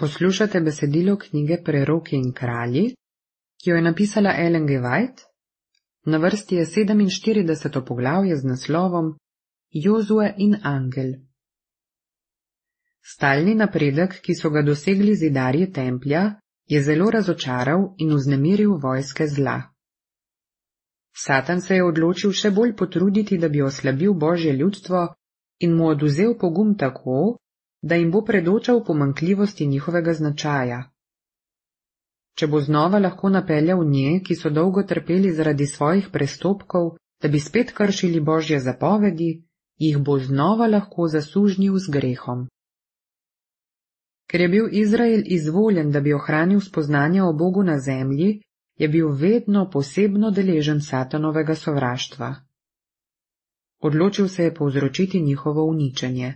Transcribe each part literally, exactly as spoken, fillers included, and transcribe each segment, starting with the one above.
Poslušate besedilo knjige Preroki in kralji, ki jo je napisala Ellen G. White. Na vrsti je sedeminštirideseto poglavje z naslovom Jozue in angel. Stalni napredek, ki so ga dosegli zidarji templja, je zelo razočaral in vznemiril vojske zla. Satan se je odločil še bolj potruditi, da bi oslabil Božje ljudstvo in mu oduzel pogum tako, da jim bo predočal pomanjkljivosti njihovega značaja. Če bo znova lahko napeljal nje, ki so dolgo trpeli zaradi svojih prestopkov, da bi spet kršili Božje zapovedi, jih bo znova lahko zasužnil z grehom. Ker je bil Izrael izvoljen, da bi ohranil spoznanje o Bogu na zemlji, je bil vedno posebno deležen Satanovega sovraštva. Odločil se je povzročiti njihovo uničenje.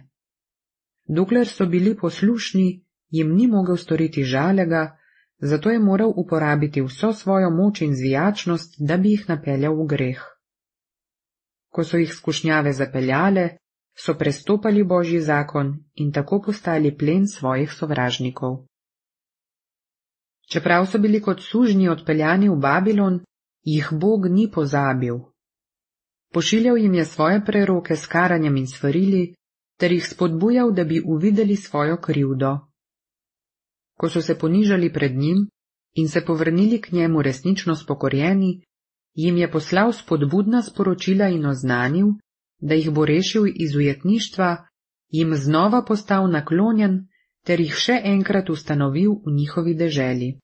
Dokler so bili poslušni, jim ni mogel storiti žalega, zato je moral uporabiti vso svojo moč in zvijačnost, da bi jih napeljal v greh. Ko so jih skušnjave zapeljale, so prestopali Božji zakon in tako postali plen svojih sovražnikov. Čeprav so bili kot sužnji odpeljani v Babilon, jih Bog ni pozabil. Pošiljal jim je svoje preroke s karanjem in svarili, ter jih spodbujal, da bi uvideli svojo krivdo. Ko so se ponižali pred njim in se povrnili k njemu resnično spokorjeni, jim je poslal spodbudna sporočila in oznanil, da jih bo rešil iz ujetništva, jim znova postal naklonjen ter jih še enkrat ustanovil v njihovi deželi.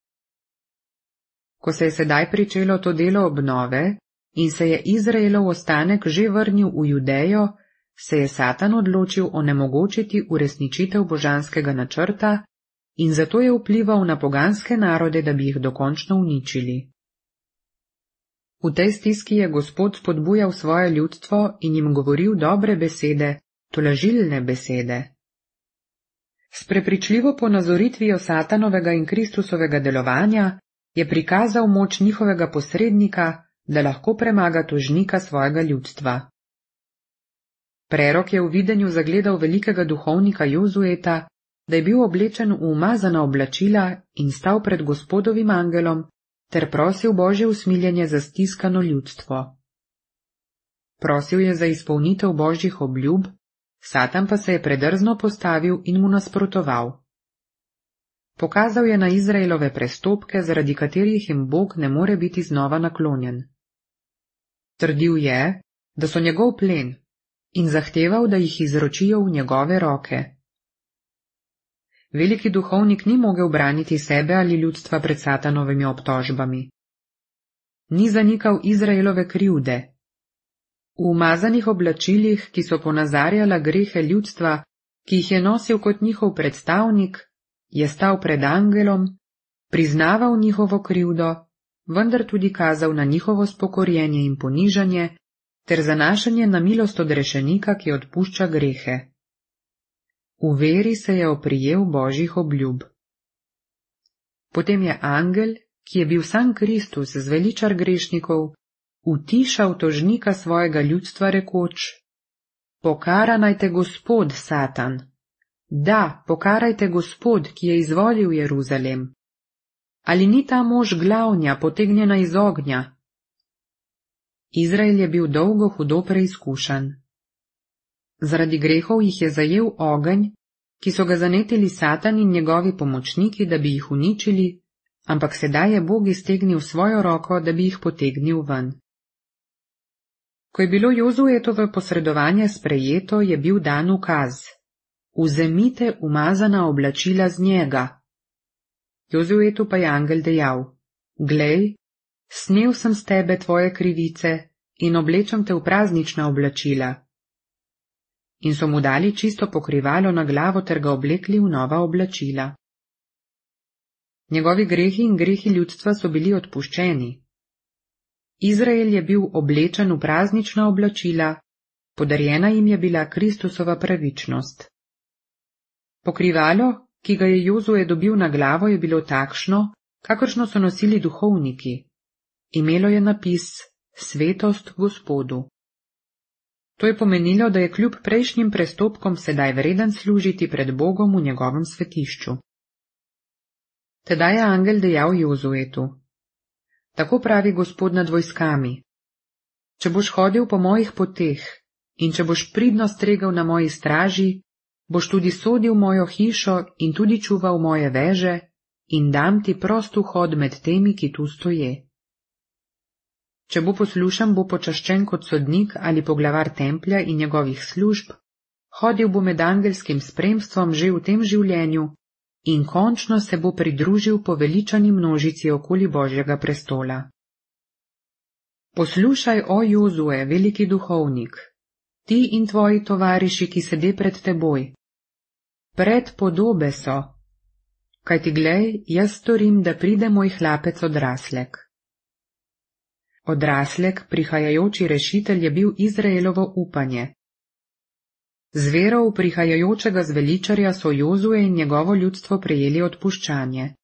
Ko se je sedaj pričelo to delo obnove in se je Izraelov ostanek že vrnil v Judejo, se je Satan odločil onemogočiti uresničitev božanskega načrta in zato je vplival na poganske narode, da bi jih dokončno uničili. V tej stiski je Gospod spodbujal svoje ljudstvo in jim govoril dobre besede, tolažilne besede. S prepričljivo ponazoritvijo Satanovega in Kristusovega delovanja je prikazal moč njihovega posrednika, da lahko premaga tožnika svojega ljudstva. Prerok je v videnju zagledal velikega duhovnika Jozueta, da je bil oblečen v umazana oblačila in stal pred Gospodovim angelom, ter prosil Božje usmiljenje za stiskano ljudstvo. Prosil je za izpolnitev Božjih obljub, Satan pa se je predrzno postavil in mu nasprotoval. Pokazal je na Izraelove prestopke, zaradi katerih jim Bog ne more biti znova naklonjen. Trdil je, da so njegov plen, in zahteval, da jih izročijo v njegove roke. Veliki duhovnik ni mogel braniti sebe ali ljudstva pred Satanovimi obtožbami. Ni zanikal Izraelove krivde. V umazanih oblačilih, ki so ponazarjala grehe ljudstva, ki jih je nosil kot njihov predstavnik, je stal pred angelom, priznaval njihovo krivdo, vendar tudi kazal na njihovo spokorjenje in ponižanje, ter zanašanje na milost odrešenika, ki odpušča grehe. V veri se je oprijel Božjih obljub. Potem je angel, ki je bil sam Kristus, zveličar grešnikov, utišal tožnika svojega ljudstva rekoč: Pokara naj te Gospod, Satan. Da, pokarajte Gospod, ki je izvolil Jeruzalem. Ali ni ta mož glavnja, potegnjena iz ognja? Izrael je bil dolgo hudo preizkušan. Zaradi grehov jih je zajel ogenj, ki so ga zanetili Satan in njegovi pomočniki, da bi jih uničili, ampak sedaj je Bog iztegnil svojo roko, da bi jih potegnil ven. Ko je bilo Jozuetovo posredovanje sprejeto, je bil dan ukaz: Vzemite umazana oblačila z njega. Jozuetu pa je angel dejal: Glej, snel sem s tebe tvoje krivice in oblečem te v praznična oblačila. In so mu dali čisto pokrivalo na glavo ter ga oblekli v nova oblačila. Njegovi grehi in grehi ljudstva so bili odpuščeni. Izrael je bil oblečen v praznična oblačila, podarjena jim je bila Kristusova pravičnost. Pokrivalo, ki ga je Jozue dobil na glavo, je bilo takšno, kakršno so nosili duhovniki. Imelo je napis Svetost Gospodu. To je pomenilo, da je kljub prejšnjim prestopkom sedaj vreden služiti pred Bogom v njegovem svetišču. Tedaj je angel dejal Jozuetu: Tako pravi Gospod nad vojskami, če boš hodil po mojih poteh in če boš pridno stregel na moji straži, boš tudi sodil mojo hišo in tudi čuval moje veže in dam ti prost vhod med temi, ki tu stoje. Če bo poslušan, bo počaščen kot sodnik ali poglavar templja in njegovih služb, hodil bo med angelskim spremstvom že v tem življenju in končno se bo pridružil poveličani množici okoli Božjega prestola. Poslušaj, o Jozue, veliki duhovnik, ti in tvoji tovariši, ki sede pred teboj. Predpodobe so, kajti glej, jaz storim, da pride moj hlapec odraslek. Odraslek, prihajajoči rešitelj, je bil Izraelovo upanje. Z vero v prihajajočega zveličarja so Jozue in njegovo ljudstvo prejeli odpuščanje.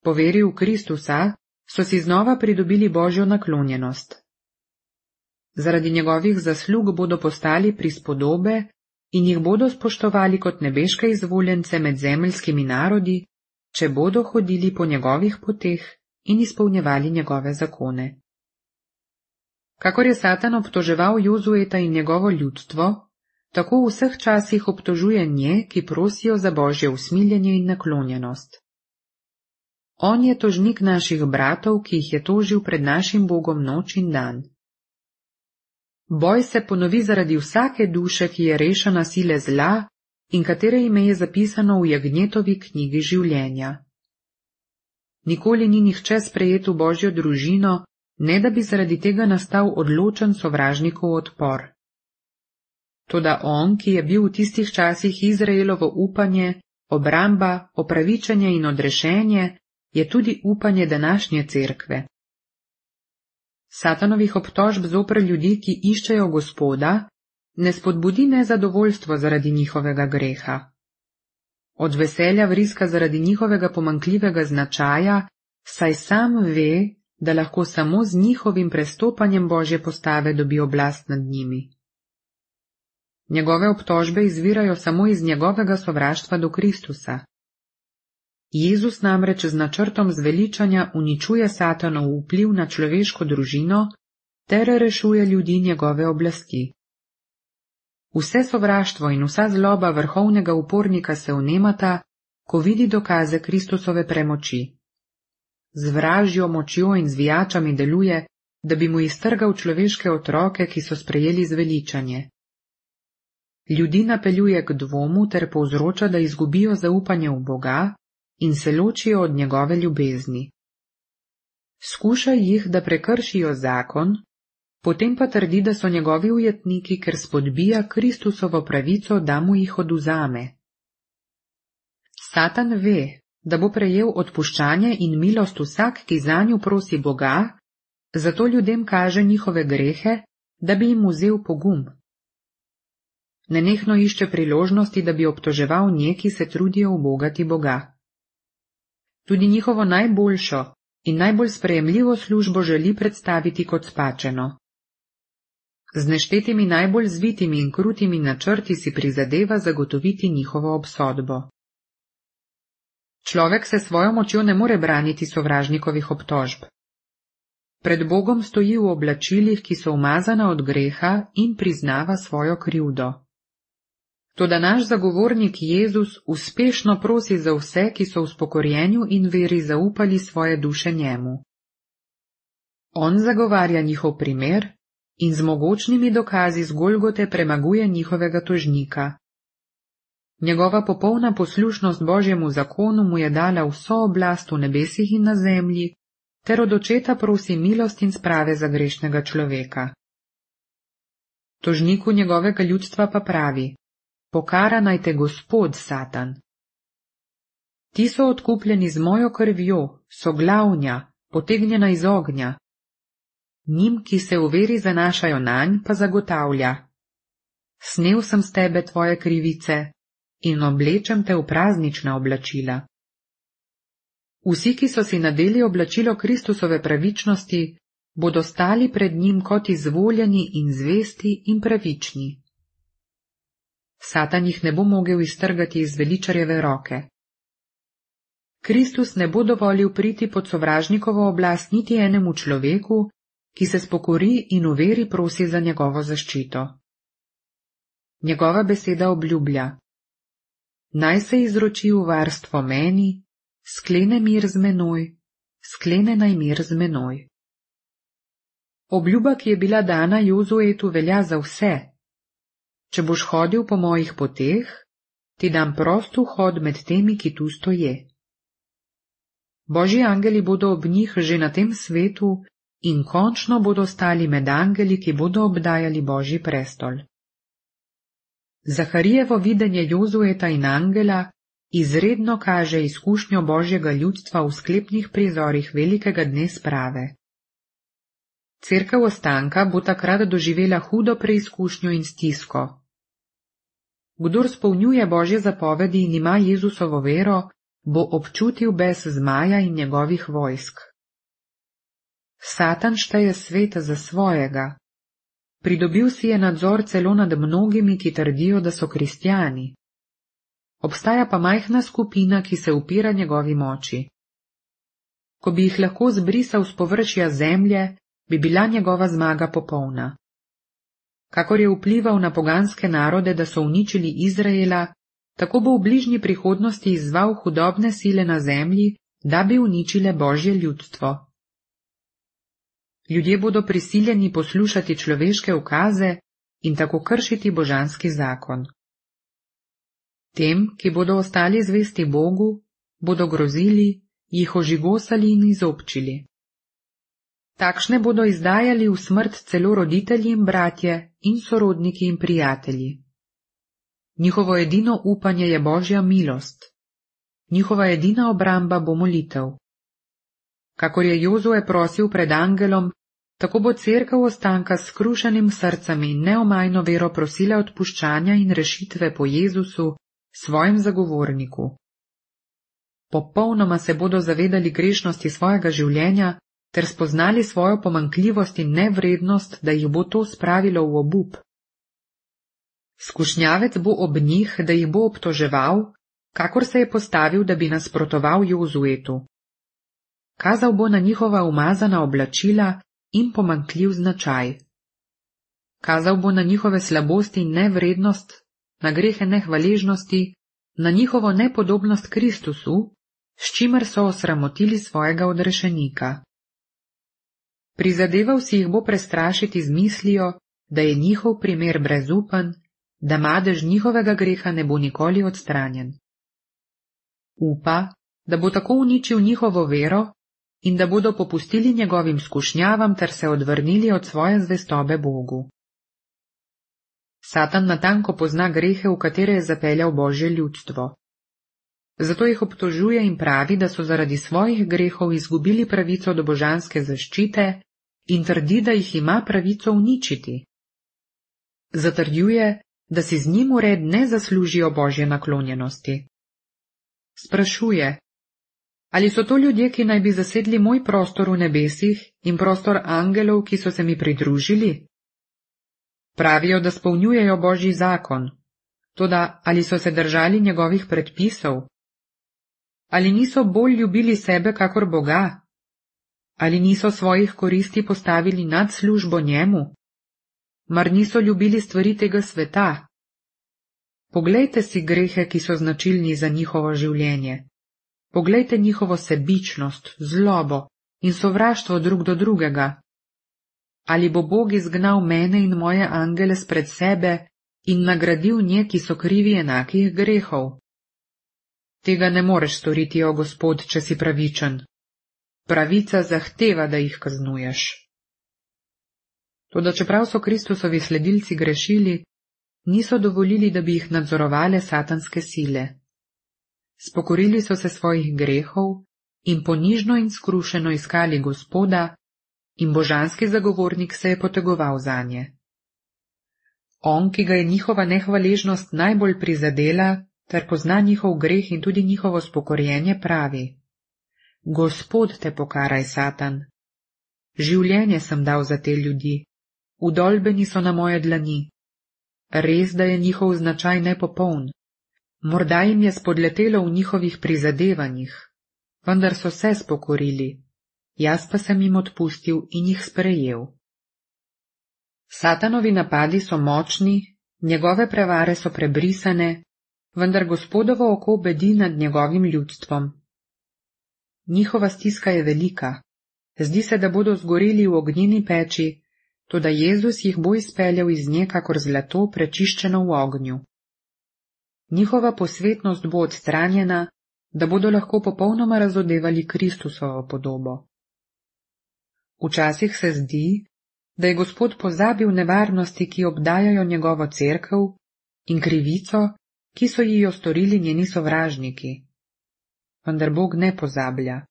Po veri v Kristusa so si znova pridobili Božjo naklonjenost. Zaradi njegovih zaslug bodo postali prispodobe in jih bodo spoštovali kot nebeške izvoljence med zemeljskimi narodi, če bodo hodili po njegovih poteh in izpolnjevali njegove zakone. Kakor je Satan obtoževal Jozueta in njegovo ljudstvo, tako v vseh časih obtožuje nje, ki prosijo za Božje usmiljenje in naklonjenost. On je tožnik naših bratov, ki jih je tožil pred našim Bogom noč in dan. Boj se ponovi zaradi vsake duše, ki je rešena sile zla in katere ime je zapisano v Jagnjetovi knjigi življenja. Nikoli ni nihče sprejet v Božjo družino, ne da bi zaradi tega nastal odločen sovražnikov odpor. Toda on, ki je bil v tistih časih Izraelovo upanje, obramba, opravičenje in odrešenje, je tudi upanje današnje cerkve. Satanovih obtožb zoper ljudi, ki iščejo Gospoda, ne spodbudi nezadovoljstvo zaradi njihovega greha. Od veselja vriska zaradi njihovega pomanjkljivega značaja, saj sam ve, da lahko samo z njihovim prestopanjem Božje postave dobi oblast nad njimi. Njegove obtožbe izvirajo samo iz njegovega sovraštva do Kristusa. Jezus namreč z načrtom zveličanja uničuje Satanov vpliv na človeško družino ter rešuje ljudi njegove oblasti. Vse sovraštvo in vsa zloba vrhovnega upornika se vnemata, ko vidi dokaze Kristusove premoči. Z vražjo močjo in zvijačami deluje, da bi mu iztrgal človeške otroke, ki so sprejeli zveličanje. Ljudi napeljuje k dvomu ter povzroča, da izgubijo zaupanje v Boga in se ločijo od njegove ljubezni. Skuša jih, da prekršijo zakon, potem pa trdi, da so njegovi ujetniki, ker spodbija Kristusovo pravico, da mu jih odvzame. Satan ve, da bo prejel odpuščanje in milost vsak, ki zanju prosi Boga, zato ljudem kaže njihove grehe, da bi jim vzel pogum. Nenehno išče priložnosti, da bi obtoževal nje, ki se trudijo ubogati Boga. Tudi njihovo najboljšo in najbolj sprejemljivo službo želi predstaviti kot spačeno. Z neštetimi najbolj zvitimi in krutimi načrti si prizadeva zagotoviti njihovo obsodbo. Človek se svojo močjo ne more braniti sovražnikovih obtožb. Pred Bogom stoji v oblačilih, ki so umazana od greha, in priznava svojo krivdo. Toda naš zagovornik Jezus uspešno prosi za vse, ki so v spokorjenju in veri zaupali svoje duše njemu. On zagovarja njihov primer in z mogočnimi dokazi z Golgote premaguje njihovega tožnika. Njegova popolna poslušnost Božjemu zakonu mu je dala vso oblast v nebesih in na zemlji, ter od očeta prosi milost in sprave za grešnega človeka. Tožniku njegovega ljudstva pa pravi: Pokara naj te Gospod, Satan. Ti so odkupljeni z mojo krvjo, so glavnja, potegnjena iz ognja. Njim, ki se v veri zanašajo nanj, pa zagotavlja: Snel sem s tebe tvoje krivice in oblečem te v praznična oblačila. Vsi, ki so si nadeli oblačilo Kristusove pravičnosti, bodo stali pred njim kot izvoljeni in zvesti in pravični. Satan jih ne bo mogel iztrgati iz veličarjeve roke. Kristus ne bo dovolil priti pod sovražnikovo oblast niti enemu človeku, ki se spokori in v veri prosi za njegovo zaščito. Njegova beseda obljublja: naj se izroči v varstvo meni, sklene mir z menoj, sklene naj mir z menoj. Obljuba, ki je bila dana Jozuetu, velja za vse. Če boš hodil po mojih poteh, ti dam prost vhod med temi, ki tu stoje. Božji angeli bodo ob njih že na tem svetu in končno bodo stali med angeli, ki bodo obdajali Božji prestol. Zaharijevo videnje Jozueta in angela izredno kaže izkušnjo Božjega ljudstva v sklepnih prizorih velikega dne sprave. Cerkev ostanka bo takrat doživela hudo preizkušnjo in stisko. Kdor spolnjuje Božje zapovedi in ima Jezusovo vero, bo občutil bes zmaja in njegovih vojsk. Satan šteje svet za svojega. Pridobil si je nadzor celo nad mnogimi, ki trdijo, da so kristjani. Obstaja pa majhna skupina, ki se upira njegovi moči. Ko bi jih lahko zbrisal z površja zemlje, bi bila njegova zmaga popolna. Kakor je vplival na poganske narode, da so uničili Izraela, tako bo v bližnji prihodnosti izzval hudobne sile na zemlji, da bi uničile Božje ljudstvo. Ljudje bodo prisiljeni poslušati človeške ukaze in tako kršiti božanski zakon. Tem, ki bodo ostali zvesti Bogu, bodo grozili, jih ožigosali in izobčili. Takšne bodo izdajali v smrt celo roditelji in bratje in sorodniki in prijatelji. Njihovo edino upanje je Božja milost. Njihova edina obramba bo molitev. Kakor je Jozue prosil pred angelom, tako bo cerkev ostanka s skrušenim srcem in neomajno vero prosila odpuščanja in rešitve po Jezusu, svojem zagovorniku. Popolnoma se bodo zavedali grešnosti svojega življenja ter spoznali svojo pomanjkljivost in nevrednost, da jih bo to spravilo v obup. Skušnjavec bo ob njih, da jih bo obtoževal, kakor se je postavil, da bi nasprotoval Jozuetu. Kazal bo na njihova umazana oblačila in pomanjkljiv značaj. Kazal bo na njihove slabosti in nevrednost, na grehe nehvaležnosti, na njihovo nepodobnost Kristusu, s čimer so osramotili svojega odrešenika. Prizadeval si jih bo prestrašiti z mislijo, da je njihov primer brezupen, da madež njihovega greha ne bo nikoli odstranjen. Upa, da bo tako uničil njihovo vero in da bodo popustili njegovim skušnjavam ter se odvrnili od svoje zvestobe Bogu. Satan natanko pozna grehe, v katere je zapeljal Božje ljudstvo. Zato jih obtožuje in pravi, da so zaradi svojih grehov izgubili pravico do božanske zaščite in trdi, da jih ima pravico uničiti. Zatrjuje, da si z njim ured ne zaslužijo Božje naklonjenosti. Sprašuje, ali so to ljudje, ki naj bi zasedli moj prostor v nebesih in prostor angelov, ki so se mi pridružili? Pravijo, da spolnjujejo Božji zakon, toda ali so se držali njegovih predpisov? Ali niso bolj ljubili sebe kakor Boga? Ali niso svojih koristi postavili nad službo njemu? Mar niso ljubili stvari tega sveta? Poglejte si grehe, ki so značilni za njihovo življenje. Poglejte njihovo sebičnost, zlobo in sovraštvo drug do drugega. Ali bo Bog izgnal mene in moje angele spred sebe in nagradil nje, ki so krivi enakih grehov? Tega ne moreš storiti, o Gospod, če si pravičen. Pravica zahteva, da jih kaznuješ. Toda čeprav so Kristusovi sledilci grešili, niso dovolili, da bi jih nadzorovale satanske sile. Spokorili so se svojih grehov in ponižno in skrušeno iskali Gospoda, in božanski zagovornik se je potegoval zanje. On, ki ga je njihova nehvaležnost najbolj prizadela, ter pozna njihov greh in tudi njihovo spokorjenje, pravi: Gospod te pokaraj, Satan. Življenje sem dal za te ljudi, udolbeni so na moje dlani. Res, da je njihov značaj nepopoln. Morda jim je spodletelo v njihovih prizadevanjih. vendar so se spokorili, jaz pa sem jim odpustil in jih sprejel. Satanovi napadi so močni, njegove prevare so prebrisane, vendar Gospodovo oko bedi nad njegovim ljudstvom. Njihova stiska je velika, zdi se, da bodo zgoreli v ognjeni peči, toda Jezus jih bo izpeljal iz nje kakor zlato prečiščeno v ognju. Njihova posvetnost bo odstranjena, da bodo lahko popolnoma razodevali Kristusovo podobo. Včasih se zdi, da je Gospod pozabil nevarnosti, ki obdajajo njegovo cerkev, in krivico, ki so ji jo storili njeni sovražniki. Vendar Bog ne pozablja.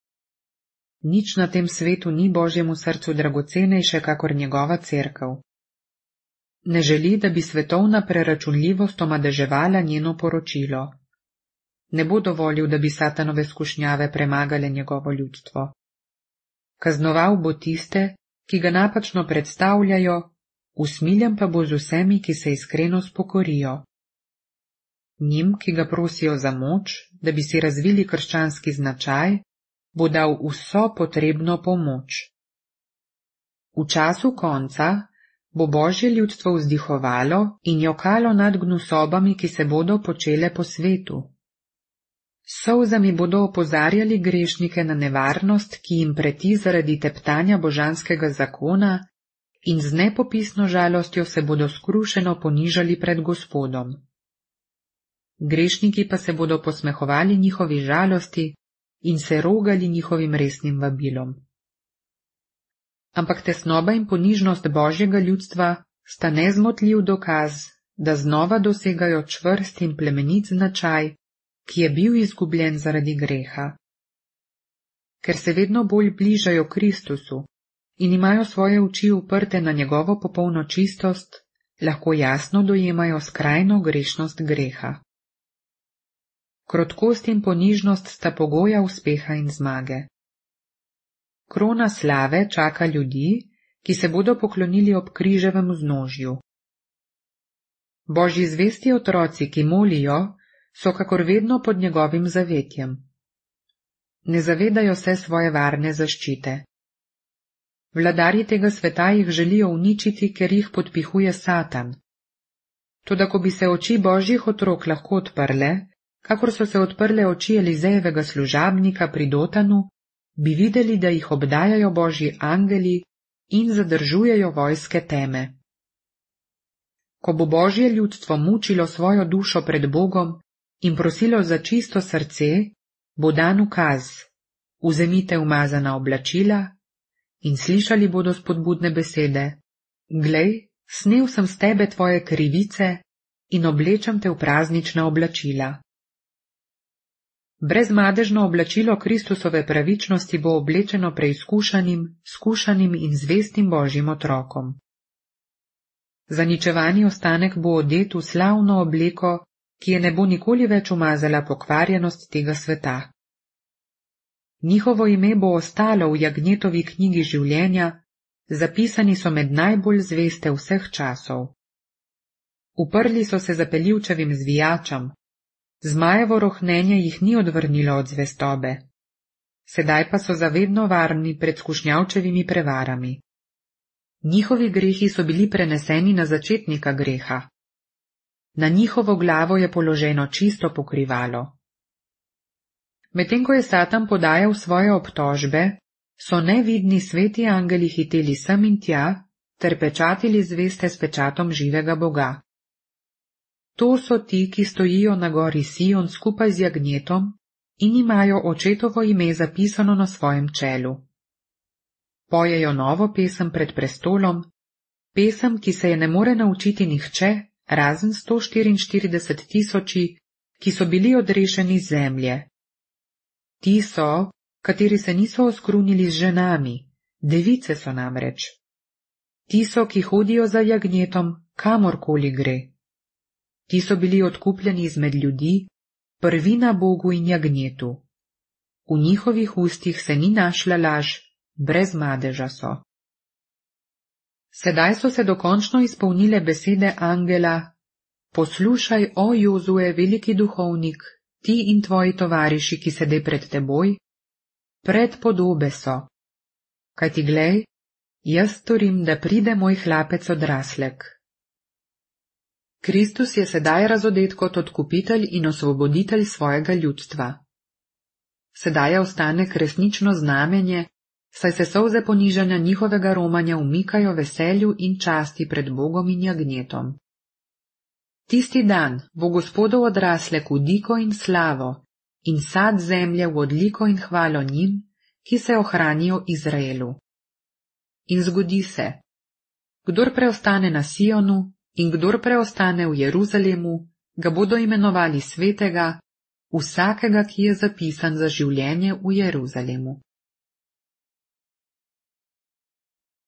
Nič na tem svetu ni Božjemu srcu dragocenejše kakor njegova cerkev. Ne želi, da bi svetovna preračunljivost omadeževala njeno poročilo. Ne bo dovolil, da bi Satanove skušnjave premagale njegovo ljudstvo. Kaznoval bo tiste, ki ga napačno predstavljajo, usmiljen pa bo z vsemi, ki se iskreno spokorijo. Njim, ki ga prosijo za moč, da bi si razvili krščanski značaj, bo dal vso potrebno pomoč. V času konca bo Božje ljudstvo vzdihovalo in jokalo nad gnusobami, ki se bodo počele po svetu. S solzami bodo opozarjali grešnike na nevarnost, ki jim preti zaradi teptanja božanskega zakona, in z nepopisno žalostjo se bodo skrušeno ponižali pred Gospodom. Grešniki pa se bodo posmehovali njihovi žalosti in se rogali njihovim resnim vabilom. Ampak tesnoba in ponižnost Božjega ljudstva sta nezmotljiv dokaz, da znova dosegajo čvrst in plemenit značaj, ki je bil izgubljen zaradi greha. Ker se vedno bolj bližajo Kristusu in imajo svoje oči uprte na njegovo popolno čistost, lahko jasno dojemajo skrajno grešnost greha. Krotkost in ponižnost sta pogoja uspeha in zmage. Krona slave čaka ljudi, ki se bodo poklonili ob križevem vznožju. Božji zvesti otroci, ki molijo, so kakor vedno pod njegovim zavetjem. Ne zavedajo se svoje varne zaščite. Vladarji tega sveta jih želijo uničiti, ker jih podpihuje Satan. Toda ko bi se oči Božjih otrok lahko odprle, kakor so se odprle oči Elizejevega služabnika pri Dotanu, bi videli, da jih obdajajo Božji angeli in zadržujejo vojske teme. Ko bo Božje ljudstvo mučilo svojo dušo pred Bogom in prosilo za čisto srce, bo dan ukaz: vzemite umazana oblačila, in slišali bodo spodbudne besede: glej, snel sem s tebe tvoje krivice in oblečem te v praznična oblačila. Brezmadežno oblačilo Kristusove pravičnosti bo oblečeno preizkušanim, skušanim in zvestim Božjim otrokom. Zaničevani ostanek bo odet v slavno obleko, ki je ne bo nikoli več umazala pokvarjenost tega sveta. Njihovo ime bo ostalo v Jagnjetovi knjigi življenja, zapisani so med najbolj zveste vseh časov. Uprli so se zapeljivčevim zvijačam, zmajevo rohnenje jih ni odvrnilo od zvestobe. Sedaj pa so zavedno varni pred skušnjavčevimi prevarami. Njihovi grehi so bili preneseni na začetnika greha. Na njihovo glavo je položeno čisto pokrivalo. Medtem ko je Satan podajal svoje obtožbe, so nevidni sveti angeli hiteli sem in tja ter pečatili zveste s pečatom živega Boga. To so ti, ki stojijo na gori Sion skupaj z jagnjetom in imajo očetovo ime zapisano na svojem čelu. Pojejo novo pesem pred prestolom, pesem, ki se je ne more naučiti nihče, razen sto štiriinštirideset tisoči, ki so bili odrešeni z zemlje. Ti so, kateri se niso oskrunili z ženami, device so namreč. Ti so, ki hodijo za jagnjetom, kamorkoli gre. Ti so bili odkupljeni izmed ljudi, prvina Bogu in jagnjetu. V njihovih ustih se ni našla laž, brez madeža so. Sedaj so se dokončno izpolnile besede angela: poslušaj, o Jozue, veliki duhovnik, ti in tvoji tovariši, ki sede pred teboj, predpodobe so. Kajti glej, jaz storim, da pride moj hlapec odraslek. Kristus je sedaj razodet kot odkupitelj in osvoboditelj svojega ljudstva. Sedaj je ostanek resnično znamenje, saj se solze ponižanja njihovega romanja umikajo veselju in časti pred Bogom in jagnjetom. Tisti dan bo Gospodov odraslek v diko in slavo in sad zemlje v odliko in hvalo njim, ki se ohranijo Izraelu. In zgodi se, kdor preostane na Sionu in kdor preostane v Jeruzalemu, ga bodo imenovali svetega, vsakega, ki je zapisan za življenje v Jeruzalemu.